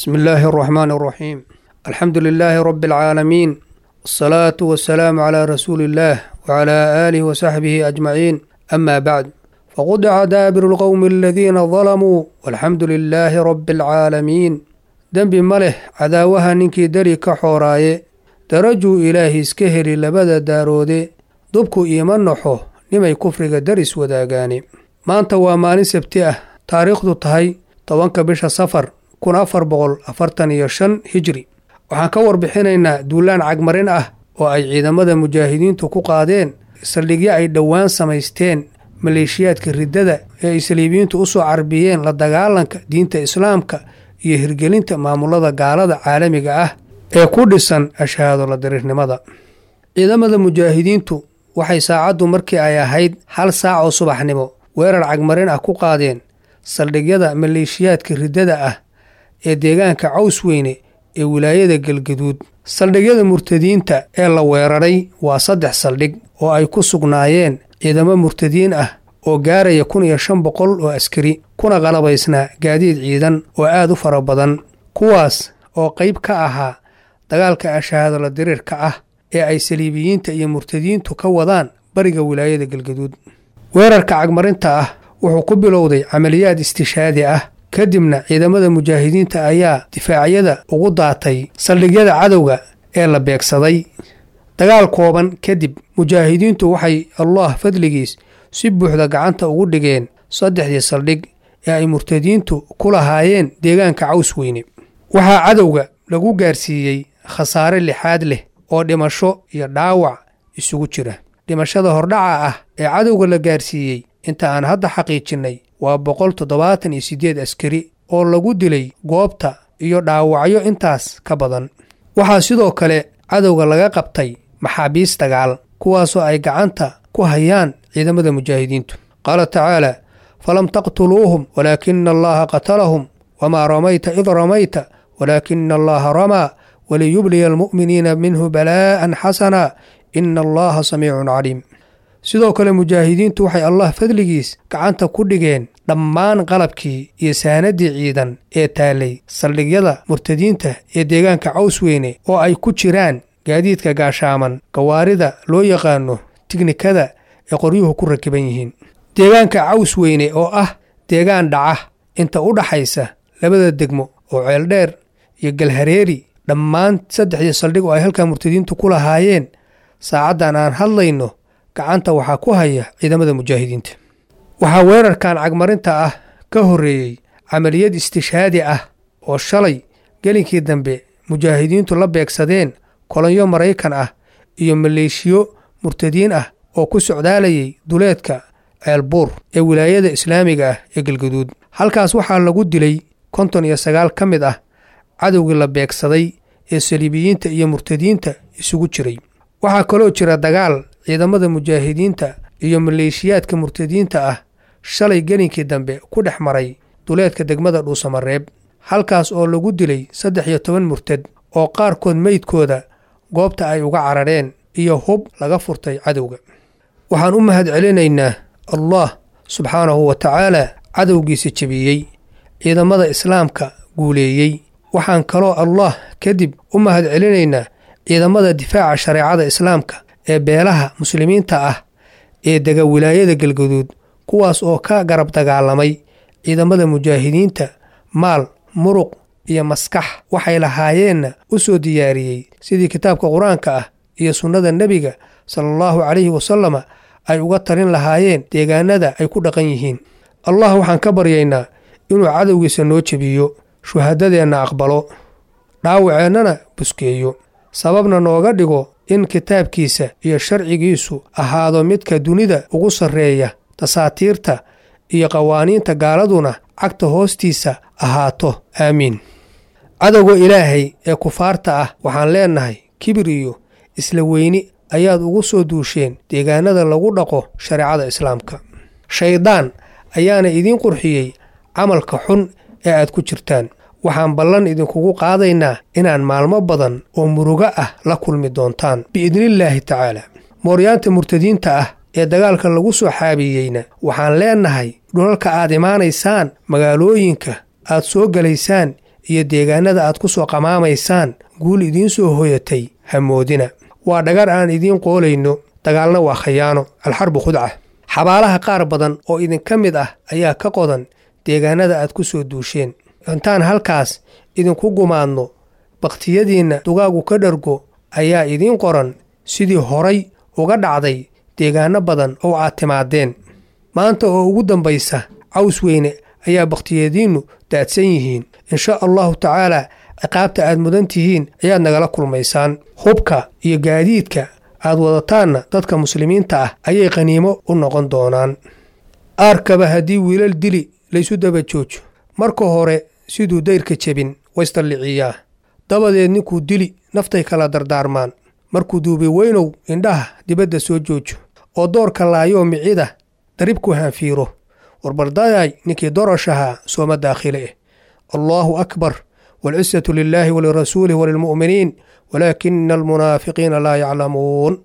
بسم الله الرحمن الرحيم، الحمد لله رب العالمين، والصلاة والسلام على رسول الله وعلى آله وصحبه أجمعين، أما بعد، فقطع دابر القوم الذين ظلموا والحمد لله رب العالمين. Dembi ma leh cadaawaha ninkii dari ka xooraaye, darajuu ilaahi iska heli labada daaroode, dubku iima naxo nimay kufriga daris wadaagaane. Maanta waa maalin Sabti ah, taariikhdu tahay 10-ka bisha Safar 1445 Hijri. Waxaan ka warbixinaynaa duulaan cagmarin ah oo ay ciidamada mujaahidiintu ku qaadeen saldhigyo ay dhowaan samaysteen maleeshiyaadka riddada ee ay saliibiyiintu u soo carbiyeen la dagaalanka diinta islaamka iyo hirgelinta maamulada gaalada caalamiga ah ee ku dhisan ashahaado la diriirnimada. Ciidamada mujaahidiintu waxay saacaddu markii ay ahayd 1 saac oo subaxnimo weerar cagmarin ah ku qaadeen saldhigyada maleeshiyaadka riddada ah ee deegaanka Cawsweyne ee wilaayada Galgaduud. Saldhigyada murtadiinta ee la weeraray waa 3 saldhig oo ay ku sugnaayeen ciidamo murtadiin ah oo gaaraya 1500 oo askari, kuna qalabaysnaa gaadiid ciidan oo aad u fara badan, kuwaas oo qayb ka ahaa dagaalka ashahaado la diriirka ah ee ay saliibiyiinta iyo murtadiintu ka wadaan bariga wilaayada Galgaduud. Weerarka cagmarinta ah wuxuu ku bilowday camaliyaad istishaadi ah, kadibna ciidamada mujaahidiinta ayaa difaacyada ugu daatay saldhigyada cadowga ee la beegsaday. Dagaal kooban kadib, mujaahidiintu waxay Allah fadligiis si buuxda gacanta ugu dhigeen saddexdii saldhig ee ay murtadiintu ku lahaayeen deegaanka Cawsweyne. Waxaa cadowga lagu gaarsiiyey khasaare lixaad leh oo dhimasho iyo dhaawac isugu jira. Dhimashada hordhaca ah ee cadowga la gaarsiiyey inta aan hadda xaqiijinnay waa 178 askari oo lagu dilay goobta iyo dhaawacyo intaas ka badan. Waxaa sidoo kale cadowga laga qabtay maxaabiis dagaal, kuwaasoo ay gacanta ku hayaan ciidamada mujaahidiintu. Qaala tacaala: falam taqtuluuhum walaakina Allaha qatalahum, wamaa ramayta id ramayta walaakina Allaha ramaa, waliyubliya almu'miniina minhu balaa'an xasana, ina Allaha samiicun caliim. Sidoo kale mujaahidiintu waxay Allah fadligiis gacanta ku dhigeen dhammaan qalabkii iyo saanadii ciidan ee taalay saldhigyada murtadiinta ee deegaanka Cawsweyne, oo ay ku jiraan gaadiidka gaashaaman, gawaarida loo yaqaano tiknikada ee qoryuhu ku rakiban yihiin. Deegaanka Cawsweyne oo ah deegaan dhaca inta u dhaxaysa labada degmo oo Ceeldheer iyo Galhareeri, dhammaan saddexdii saldhig oo ay halkaa murtadiintu ku lahaayeen saacaddan aan hadlayno gacanta waxaa ku haya ciidamada mujaahidiinta. Waxaa weerarkan cagmarinta ah ka horreeyey camaliyad istishaadi ah oo shalay gelinkii dambe mujaahidiintu la beegsadeen kolonyo Maraykan ah iyo maleeshiyo murtadiin ah oo ku socdaalayay duleedka Ceelbuur ee wilaayada islaamiga ah ee Galgaduud. Halkaas waxaa lagu dilay 59 ka mid ah cadowgii la beegsaday ee saliibiyiinta iyo murtadiinta isugu jiray. Waxaa kaloo jira dagaal ciidamada mujaahidiinta iyo maleeshiyaadka murtadiinta ah shalay gelinkii dambe ku dhex maray duleedka degmada Dhuusamareeb, halkaas oo lagu dilay 13 murtad oo qaarkood meydkooda goobta ay uga carareen iyo hub laga furtay cadowga. Waxaan u mahad celinaynaa Allah subxaanahu wa tacaala cadowgiisa jebiyey, ciidamada islaamka guuleeyey. Waxaan kaloo Allah kadib u mahad celinaynaa ciidamada difaaca shareecada islaamka ee beelaha muslimiinta ah ee dega wilaayada Galgaduud, kuwaas oo ka garab dagaalamay ciidamada mujaahidiinta maal, muruq iyo maskax waxay lahaayeenna u soo diyaariyey sidii kitaabka qur-aanka ah iyo sunnada nebiga sala allahu calayhi wasalama ay uga talin lahaayeen deegaanada ay ku dhaqan yihiin. Allah waxaan ka baryaynaa inuu cadowgiisa noo jebiyo, shuhadadeenna aqbalo, dhaawaceennana buskeeyo, sababna nooga dhigo in kitaabkiisa iyo sharcigiisu ahaado midka dunida ugu sarreeya, tasaatiirta iyo qawaaniinta gaaladuna cagta hoostiisa ahaato. Aamiin. Cadowga ilaahay ee kufaarta ah waxaan leenahay: kibir iyo isla weyni ayaad ugu soo duusheen deegaanada lagu dhaqo shareecada islaamka, shayddaan ayaana idiin qurxiyey camalka xun ee aad ku jirtaan. Waxaan ballan idinkugu qaadaynaa inaan maalmo badan oo murugo ah la kulmi doontaan biidnillaahi tacaala. Mooryaanta murtadiinta ah ee dagaalka lagu soo xaabiyeyna waxaan leenahay: dhulalka aad imaanaysaan, magaalooyinka aad soo gelaysaan iyo deegaanada aad ku soo qamaamaysaan guul idiin soo hoyatay hamoodina. Waa dhagar aan idiin qoolayno, dagaalna waa khayaano, alxarbu khudca. Xabaalaha qaar badan oo idinka mid ah ayaa ka qodan deegaanada aad ku soo duusheen. Intaan halkaas idinku gumaadno, bakhtiyadiinna dugaagu ka dhargo ayaa idiin qoran, sidii horay uga dhacday deegaano badan oo aad timaadeen. Maanta oo ugu dambaysa Caws Weyne ayaa bakhtiyadiinnu daadsan yihiin. Insha allahu tacaalaa ciqaabta aad mudan tihiin ayaad nagala kulmaysaan. Hubka iyo gaadiidka aad wadataanna dadka muslimiinta ah ayay qaniimo u noqon doonaan. Aarkaba haddii wiilal dili laysu daba joojo, marka hore siduu dayrka jebin waysdalliciyaa, dabadeed ninkuu dili naftay kala dardaarmaan. Markuu duubi weynow indhaha dibadda soo joojo oo doorka laayoo micida daribku hanfiiro, warbardayay ninkii dorashahaa sooma daakhile eh. Allaahu akbar, waalcisatu lilaahi walirasuulih walilmu'miniin, walaakina almunaafiqiina laa yaclamuun.